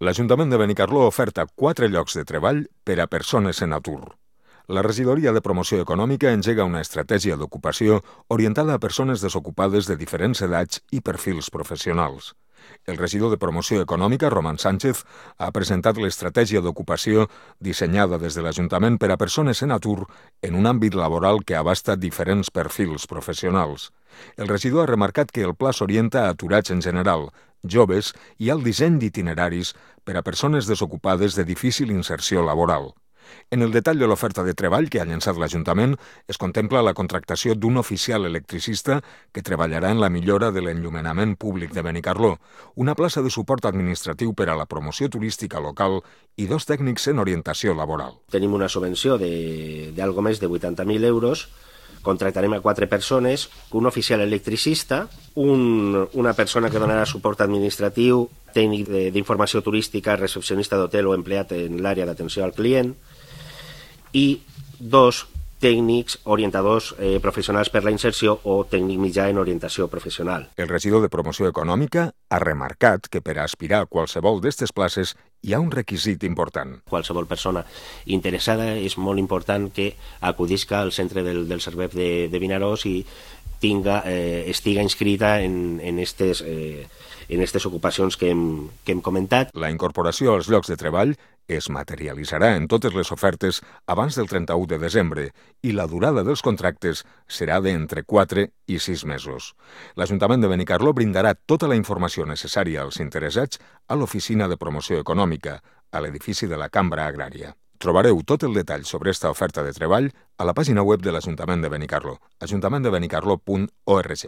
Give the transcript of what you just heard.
L'Ajuntament de Benicarló oferta 4 llocs de treball per a persones en atur. La Regidoria de Promoció Econòmica engega una estratègia d'ocupació orientada a persones desocupades de diferents edats i perfils professionals. El regidor de Promoció Econòmica, Roman Sánchez, ha presentat l'estratègia d'ocupació dissenyada des de l'Ajuntament per a persones en atur en un àmbit laboral que abasta diferents perfils professionals. El regidor ha remarcat que el pla s'orienta a aturats en general, joves i al disseny d'itineraris per a persones desocupades de difícil inserció laboral. En el detall de l'oferta de treball que ha llançat l'Ajuntament es contempla la contractació d'un oficial electricista que treballarà en la millora de l'enllumenament públic de Benicarló, una plaça de suport administratiu per a la promoció turística local i 2 tècnics en orientació laboral. Tenim una subvenció d'algo més de 80.000 euros. Contractarem a 4 persones, un oficial electricista, una persona que donarà suport administratiu, tècnic d'informació turística, recepcionista d'hotel o empleat en l'àrea d'atenció al client, i 2 tècnics orientadors professionals per la inserció o tècnic mitjà en orientació professional. El regidor de Promoció Econòmica ha remarcat que per a aspirar a qualsevol d'aquestes places hi ha un requisit important. Qualsevol persona interessada és molt important que acudisca al centre del Servei de Vinaròs i estiga inscrita en aquestes ocupacions que hem comentat. La incorporació als llocs de treball es materialitzarà en totes les ofertes abans del 31 de desembre i la durada dels contractes serà d'entre 4 i 6 mesos. L'Ajuntament de Benicarló brindarà tota la informació necessària als interessats a l'Oficina de Promoció Econòmica, a l'edifici de la Cambra Agrària. Trobareu tot el detall sobre esta oferta de treball a la pàgina web de l'Ajuntament de Benicarló, ajuntamenttdebenicarlo.org.